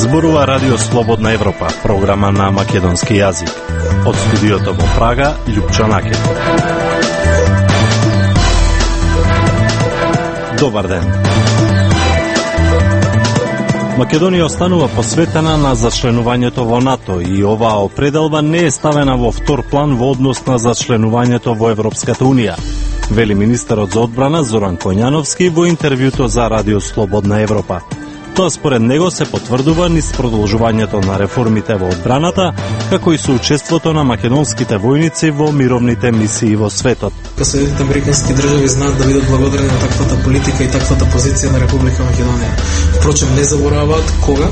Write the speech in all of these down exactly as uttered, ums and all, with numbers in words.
Зборува Радио Слободна Европа, програма на македонски јазик. Од студиото во Прага, Љупчо Накет. Добар ден. Македонија останува посветена на зачленувањето во НАТО и оваа определба не е ставена во втор план во однос на зачленувањето во Европската Унија, вели министерот за одбрана Зоран Коњановски во интервјуто за Радио Слободна Европа. Тоа според него се потврдува низ продолжувањето на реформите во одбраната, како и соучеството на македонските војници во мировните мисии во светот. Соединетите американски држави знаат да бидат благодарни на таквата политика и таквата позиција на Република Македонија. Впрочем, не забораваат кога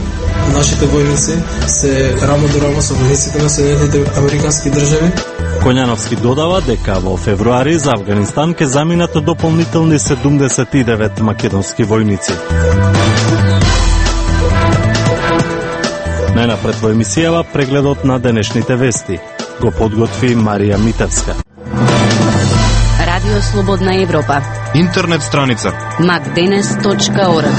нашите војници се рамо до рамо со војниците на Соединетите американски држави. Коњановски додава дека во февруари за Авганистан ќе заминат дополнителни седумдесет и девет македонски војници. Најнапред во емисијава прегледот на денешните вести. Го подготви Марија Митевска. Радио Слободна Европа. Интернет страница макденес точка орг.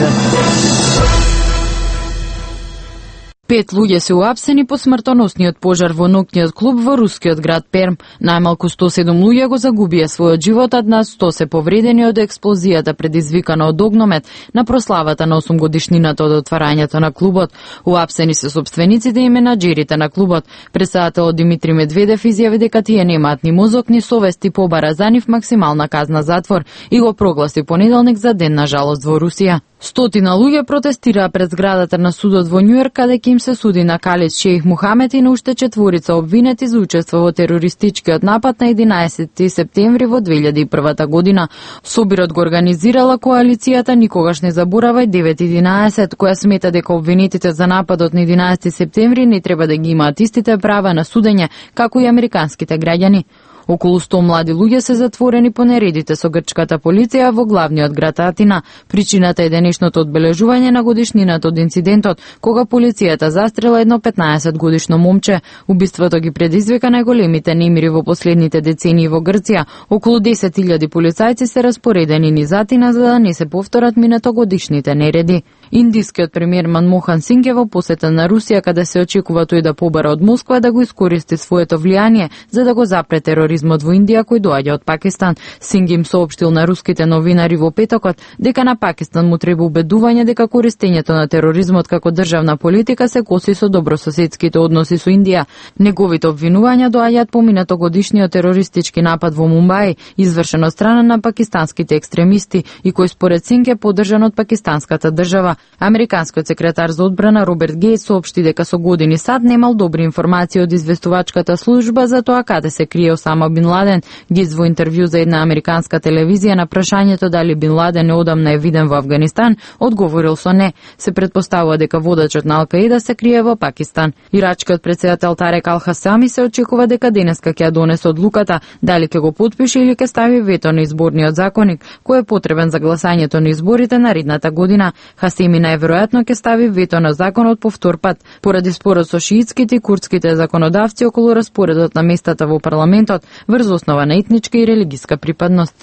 Пет луѓе се уапсени по смртоносниот пожар во ноќниот клуб во рускиот град Перм. Најмалку сто и седум луѓе го загубија својот живот, а над сто се повредени од експлозијата предизвикана од огномет на прославата на осум годишнината од отварањето на клубот. Уапсени се сопствениците и менаџерите на клубот. Председателот Димитри Медведев изјави дека тие немаат ни мозок ни совест и побара за нив максимална казна затвор и го прогласи понеделник за ден на жалост во Русија. Стотина луѓе протестираа пред зградата на судот во Њујорк, каде ќе им се суди на Калид Шејх Мухамед и на уште четворица обвинети за учество во терористичкиот напад на единаесетти септември во две илјади и прва година. Собирот го организирала коалицијата Никогаш не заборавај девет единаесет, која смета дека обвинетите за нападот на единаесетти септември не треба да ги имаат истите права на судење, како и американските граѓани. Околу сто млади луѓе се затворени по нередите со грчката полиција во главниот град Атина. Причината е денешното одбележување на годишнината од инцидентот, кога полицијата застрела едно петнаесет годишно момче. Убиството ги предизвика најголемите немири во последните децении во Грција. Околу десет илјади полицајци се распоредени низ Атина за да не се повторат минатогодишните нереди. Индискиот премиер Манмохан Синг е во посета на Русија, каде се очекува тој да побара од Москва да го искористи своето влијание за да го запре тероризмот во Индија кој доаѓа од Пакистан. Синг им соопштил на руските новинари во петокот дека на Пакистан му треба убедување дека користењето на тероризмот како државна политика се коси со добрососедските односи со Индија. Неговите обвинувања доаѓаат по минатогодишниот терористички напад во Мумбај, извршен од страна на пакистанските екстремисти и кој според Синг е поддржан од пакистанската држава. Американскиот секретар за одбрана Роберт Гејтс соопшти дека со години сад немал добри информации од известувачката служба за тоа каде се крие Осама Бин Ладен. Гејтс во интервју за една американска телевизија на прашањето дали Бин Ладен неодамна е виден во Авганистан, одговорил со не. Се претпоставува дека водачот на Ал-Каида се крие во Пакистан. Ирачкиот председател Тарек Ал-Хасами се очекува дека денеска ќе ја донесе одлуката дали ќе го потпише или ќе стави вето на изборниот законник, кој е потребен за гласањето на изборите наредната година. Хасеми најверојатно ќе стави вето на законот по втор пат, поради спорот со шиитските и курдските законодавци околу распоредот на местата во парламентот врз основа на етничка и религиска припадност.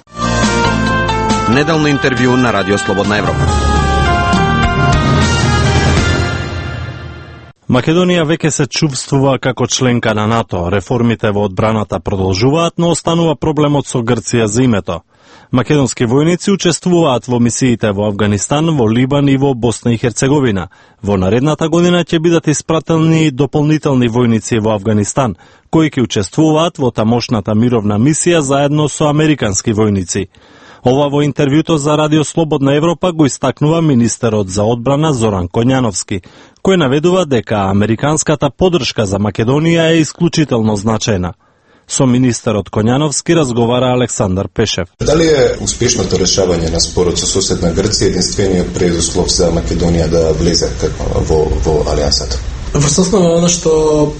Неделно интервју на Радио Слободна Европа. Македонија веќе се чувствува како членка на НАТО. Реформите во одбраната продолжуваат, но останува проблемот со Грција за името. Македонски војници учествуваат во мисиите во Авганистан, во Либан и во Босна и Херцеговина. Во наредната година ќе бидат испратени дополнителни војници во Авганистан, кои ќе учествуваат во тамошната мировна мисија заедно со американски војници. Ова во интервјуто за Радио Слободна Европа го истакнува министерот за одбрана Зоран Коњановски, кој наведува дека американската поддршка за Македонија е исклучително значајна. Со министерот Коњановски разговара Александар Пешев. Дали е успешното решавање на спорот со соседна Грција единствениот предуслов за Македонија да влезе во, во алијансата? Врз основа она што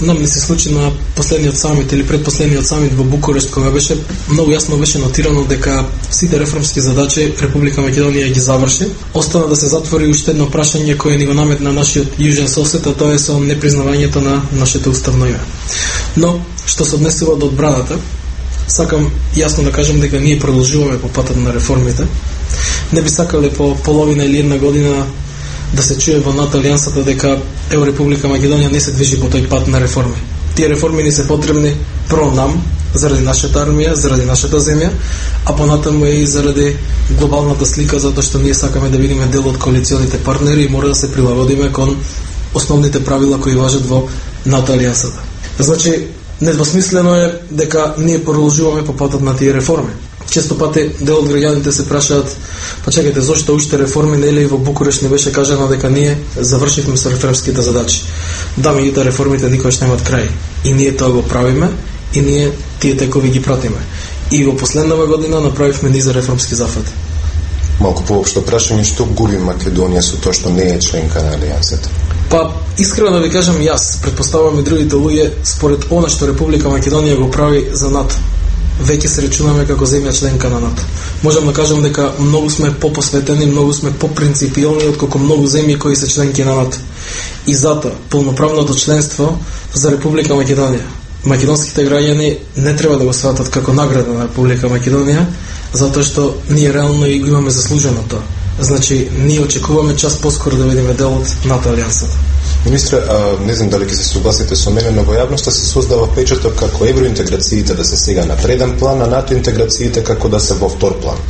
нам не се случи на последниот самит или предпоследниот самит во Букурешт, кога беше многу јасно беше нотирано дека сите реформски задачи Република Македонија ги заврши. Остана да се затвори уште едно прашање кое ни го наметна нашиот јужен сосед, а тоа е со непризнавањето на нашето уставно име. Но што се однесува до одбраната, сакам јасно да кажам дека ние продолжуваме по патот на реформите. Не би сакале по половина или една година да се чуе во НАТО алијансата дека ево Република Македонија не се движи по тој пат на реформи. Тие реформи ни се потребни прво нам, заради нашата армија, заради нашата земја, а понатаму и заради глобалната слика, затоа што ние сакаме да бидеме дел од коалиционите партнери и мора да се прилагодиме кон основните правила кои важат во НАТО алијансата. Значи, недвосмислено е дека ние продолжуваме по патот на тие реформи. Често пати дел од граѓаните се прашаат, па чекајте, зошто уште реформи, нели во Букуреш не беше кажано дека ние завршивме со реформските задачи. Да, меѓутоа реформите никогаш немаат крај. И ние тоа го правиме, и ние тие текови ги пратиме. И во последнава година направивме низ реформски зафати. Малку поопшто прашање, што губи Македонија со тоа што не е членка на алијансата? Па, искрено да ви кажам, јас претпоставувам и другите луѓе, според она што Република Македонија го прави за НАТО, веќе се речунаме како земја членка на НАТО. Можам да кажам дека многу сме попосветени, многу сме попринципиални отколку многу земји кои се членки на НАТО. И затоа полноправното членство за Република Македонија, македонските граѓани не треба да го сватат како награда на Република Македонија, затоа што ние реално и го имаме заслужено тоа. Значи, ние очекуваме час поскоро да бидеме дел од НАТО алијансата. Министре, а, не знам дали ќе се согласите со мене, но во јавноста се создава печаток како евроинтеграциите да се сега на преден план, а НАТО интеграциите како да се во втор план.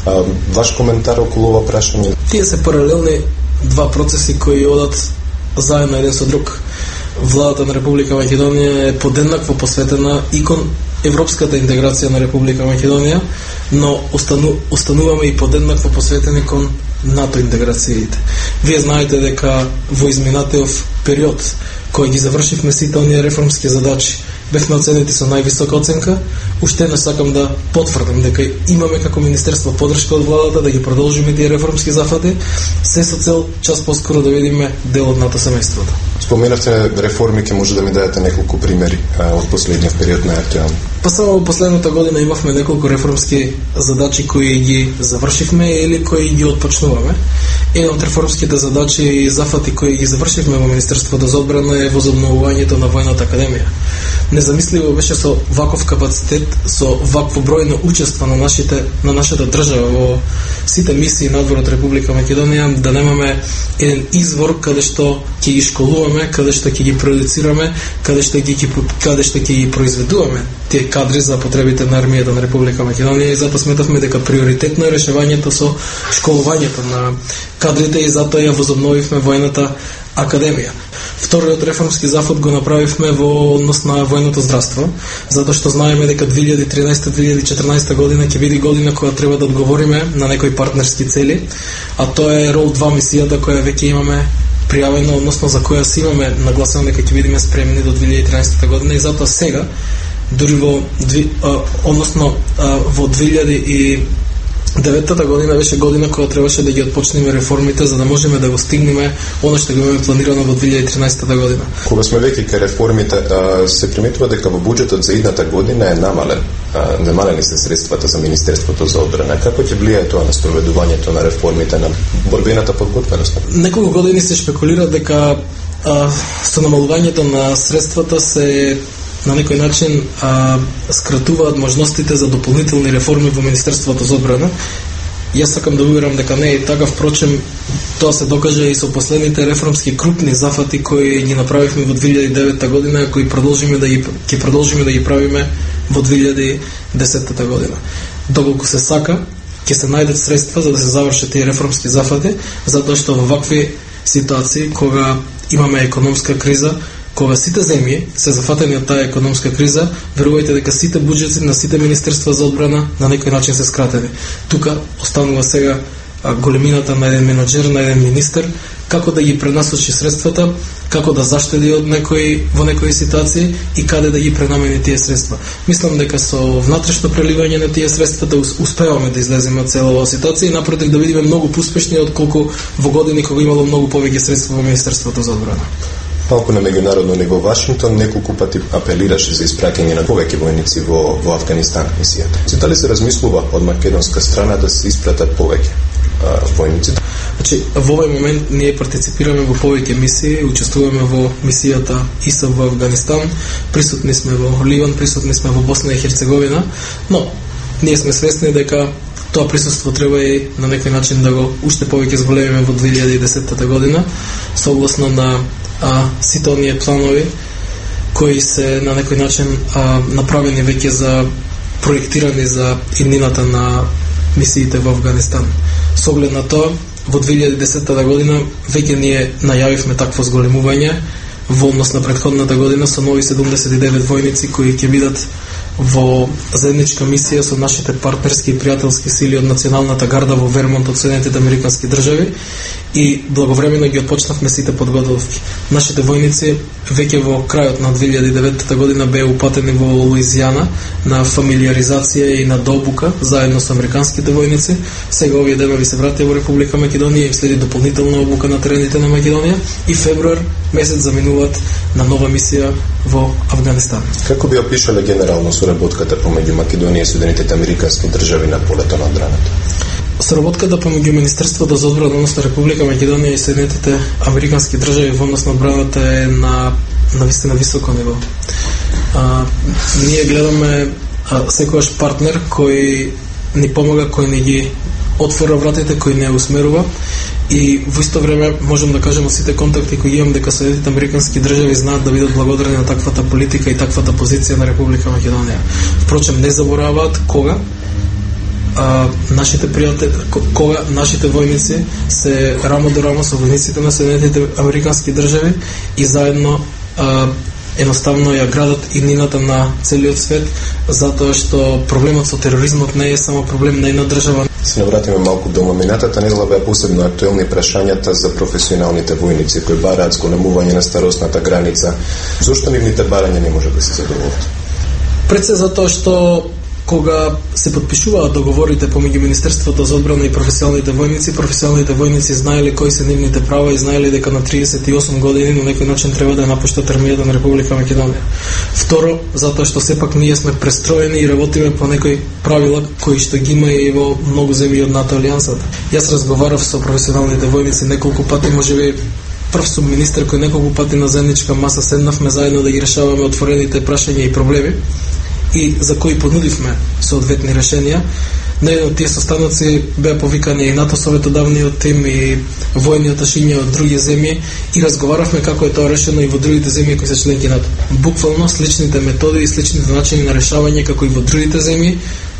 А, ваш коментар околу ова прашање? Тие се паралелни два процеси кои одат заедно еден со друг. Владата на Република Македонија е подеднакво посветена и кон европската интеграција на Република Македонија, но остану, остануваме и подеднакво посветени кон НАТО интеграциите. Вие знаете дека во изминатиот период, кој ги завршивме сите оние реформски задачи, бевме оценети со највисока оценка. Уште не сакам да потврдам дека имаме како министерство поддршка од владата да ги продолжиме тие реформски зафати, се со цел час поскоро да видиме дел од НАТО семејството. Споменавте реформи, ке може да ми дадете неколку примери а, од последниот период на актуелно. Па само во последната година имавме неколку реформски задачи кои ги завршивме или кои ги отпочнуваме. Еден од реформските задачи и зафати кои ги завршивме во Министерството за одбрана е возобновувањето на војната академија. Незамисливо беше со ваков капацитет, со вакво број на учество на нашите на нашата држава во сите мисии надвор од Република Македонија, да немаме еден извор каде што ќе ги школуваме, каде што ќе ги продуцираме, каде што ќе ги каде што ќе ги произведуваме тие кадри за потребите на армијата на Република Македонија, и затоа сметавме дека приоритетно е решавањето со школувањето на кадрите и затоа ја возобновивме војната академија. Вториот реформски зафат го направивме во однос на војното здравство, затоа што знаеме дека две илјади и тринаесета - две илјади и четрнаесета година ќе биде година која треба да одговориме на некои партнерски цели, а тоа е рол два мисијата која веќе имаме пријавено, односно за која си имаме нагласено дека ќе бидеме спремни до две илјади и тринаесета година, и затоа сега дури во а, односно а, во две илјади и деветата година беше година која требаше да ги отпочнеме реформите за да можеме да го стигнеме она што го имаме планирано во две илјади и тринаесета година. Кога сме веќе кај реформите, се приметува дека во буџетот за идната година е намален. Намалени се средствата за Министерството за одбрана. Како ќе влијае тоа на спроведувањето на реформите, на борбената подготвеност? Неколку години се шпекулира дека а, со намалувањето на средствата се на некој начин а, скратуваат можностите за дополнителни реформи во Министерството за одбрана. Јас сакам да уверам дека не е така, впрочем тоа се докажа и со последните реформски крупни зафати кои ги направивме во две илјади и девета година, кои продолжиме да ги ќе продолжиме да ги правиме во две илјади и десета година. Доколку се сака, ќе се најдат средства за да се завршат тие реформски зафати, затоа што во вакви ситуации кога имаме економска криза, кога сите земји се зафатени од таа економска криза, верувајте дека сите буџети на сите министерства за одбрана на некој начин се скратени. Тука останува сега големината на еден менаџер, на еден министер, како да ги пренасочи средствата, како да заштеди од некои во некои ситуации и каде да ги пренамени тие средства. Мислам дека со внатрешно преливање на тие средства да успеваме да излеземе од цела оваа ситуација и напротив да бидеме многу успешни отколку во години кога имало многу повеќе средства во Министерството за одбрана. Малку на меѓународно ниво, Вашингтон неколку пати апелираше за испраќање на повеќе војници во, во Афганистан мисијата. Дали се размислува од македонска страна да се испратат повеќе а, војници? Значи, во овој момент ние партиципираме во повеќе мисии, учествуваме во мисијата ИСАФ во Афганистан, присутни сме во Ливан, присутни сме во Босна и Херцеговина, но ние сме свесни дека тоа присуство треба и на некој начин да го уште повеќе зголемиме во две илјади и десета година, согласно на а, сите оние планови кои се на некој начин а, направени веќе за проектирани за иднината на мисиите во Авганистан. Со оглед на тоа, во две илјади и десета година веќе ние најавивме такво зголемување во однос на претходната година со нови седумдесет и девет војници кои ќе бидат во заедничка мисија со нашите партнерски и пријателски сили од Националната гарда во Вермонт од Соединетите Американски држави и благовремено ги отпочнавме сите подготовки. Нашите војници веќе во крајот на две илјади и девета година беа упатени во Луизијана на фамилиаризација и на дообука заедно со американските војници. Сега овие денови се вратија во Република Македонија и следи дополнителна обука на терените на Македонија и февруар месец заминуваат на нова мисија во Авганистан. Како би опишале генерално соработката помеѓу Македонија и Соединетите Американски држави на полето на одбраната? Соработката помеѓу Министерството за одбрана на Република Македонија и Соединетите Американски држави во однос на одбраната е на на вистина високо ниво. А, ние гледаме а, секојаш партнер кој ни помага, кој ни ги отвора вратите, кој не усмерува и во исто време можам да кажем од сите контакти кои имам дека Соединетите Американски држави знаат да бидат благодарни на таквата политика и таквата позиција на Република Македонија. Впрочем, не забораваат кога а, нашите пријатели, кога нашите војници се рамо до рамо со војниците на Соединетите Американски држави и заедно а, едноставно ја градат иднината на целиот свет, затоа што проблемот со тероризмот не е само проблем на една држава. Се навратиме малку до моминатата недела беа посебно актуелни прашањата за професионалните војници кои бараат зголемување на старосната граница. Зошто нивните барања не може да се задоволат? Пред се затоа што кога се подпишуваат договорите помеѓу Министерството за одбрана и професионалните војници, професионалните војници знаеле кои се нивните права и знаеле дека на триесет и осум години на некој начин треба да напуштат армијата на Република Македонија. Второ, затоа што сепак ние сме престроени и работиме по некои правила кои што ги има и во многу земји од НАТО алијансата. Јас разговарав со професионалните војници неколку пати, можеби прв сум министер кој неколку пати на заедничка маса седнавме заедно да ги решаваме отворените прашања и проблеми и за кои понудивме соодветни решенија. На еден од тие состаноци беа повикани и НАТО советодавниот тим и војни аташиња од други земји и разговаравме како е тоа решено и во другите земји кои се членки НАТО. Буквално сличните методи и сличните начини на решавање како и во другите земји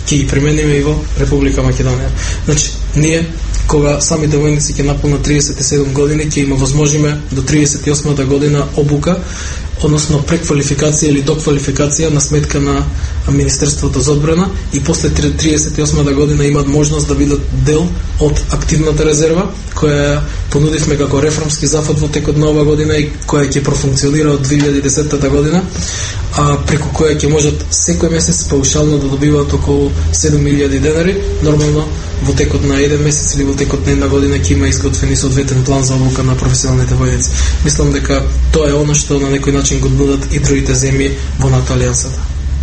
ќе ги примениме и во Република Македонија. Значи, ние кога самите војници ќе наполнат триесет и седум години, ќе има возможиме до триесет и осма година обука, односно преквалификација или доквалификација на сметка на Министерството за одбрана и после триесет и осма година имаат можност да бидат дел од активната резерва која понудивме како реформски зафат во текот на ова година и која ќе профункционира од две илјади и десета година, а преку која ќе можат секој месец паушално да добиваат околу седум илјади денари. Нормално во текот на еден месец или во текот на една година ќе има изготвен и соодветен план за обука на професионалните војници. Мислам дека тоа е оно што на некој начин го нудат и другите земји во НАТО алијансата.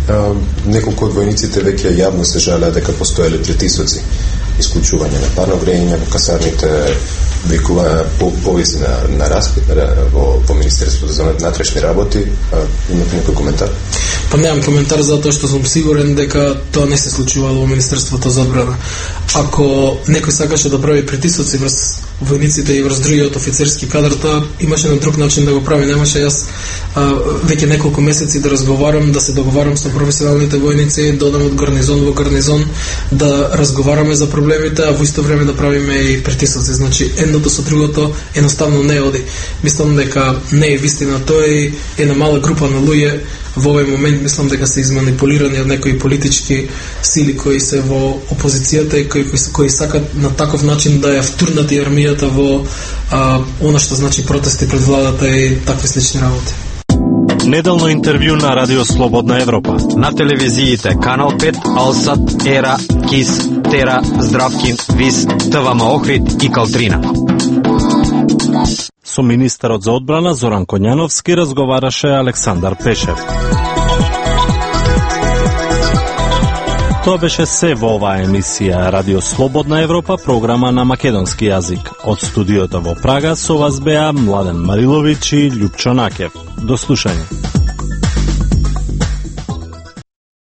А, неколку од војниците веќе јавно се жалеа дека постоеле притисоци, исклучување на парно грејење во касарните, викува по повиси на, на распит во, во Министерството за внатрешни работи. А, имате некој коментар? Па немам коментар затоа што сум сигурен дека тоа не се случувало во Министерството за одбрана. Ако некој сакаше да прави притисоци врз војниците и врз другиот офицерски кадар, тоа имаше на друг начин да го прави. Немаше јас а, веќе неколку месеци да разговарам, да се договарам со професионалните војници, да одам од гарнизон во гарнизон, да разговараме за проблемите, а во исто време да правиме и притисоци. Значи, едното со другото едноставно не оди. Мислам дека не е вистина тоа и една мала група на луѓе во овој момент мислам дека се изманипулирани од некои политички сили кои се во опозицијата и кои, кои, кои сакат на таков начин да ја втурнат и армијата во а, она што значи протести пред владата и такви слични работи. Неделно интервју на Радио Слободна Европа. На телевизиите Канал пет, Алсат, Ера, Кис, Тера, Здравкин, Вис, ТВМ Охрид и Калтрина. Со министерот за одбрана Зоран Коњановски разговараше Александар Пешев. Тоа беше се во оваа емисија Радио Слободна Европа, програма на македонски јазик. Од студиото во Прага со вас беа Младен Мариловиќ и Љупчо Накев. До слушање.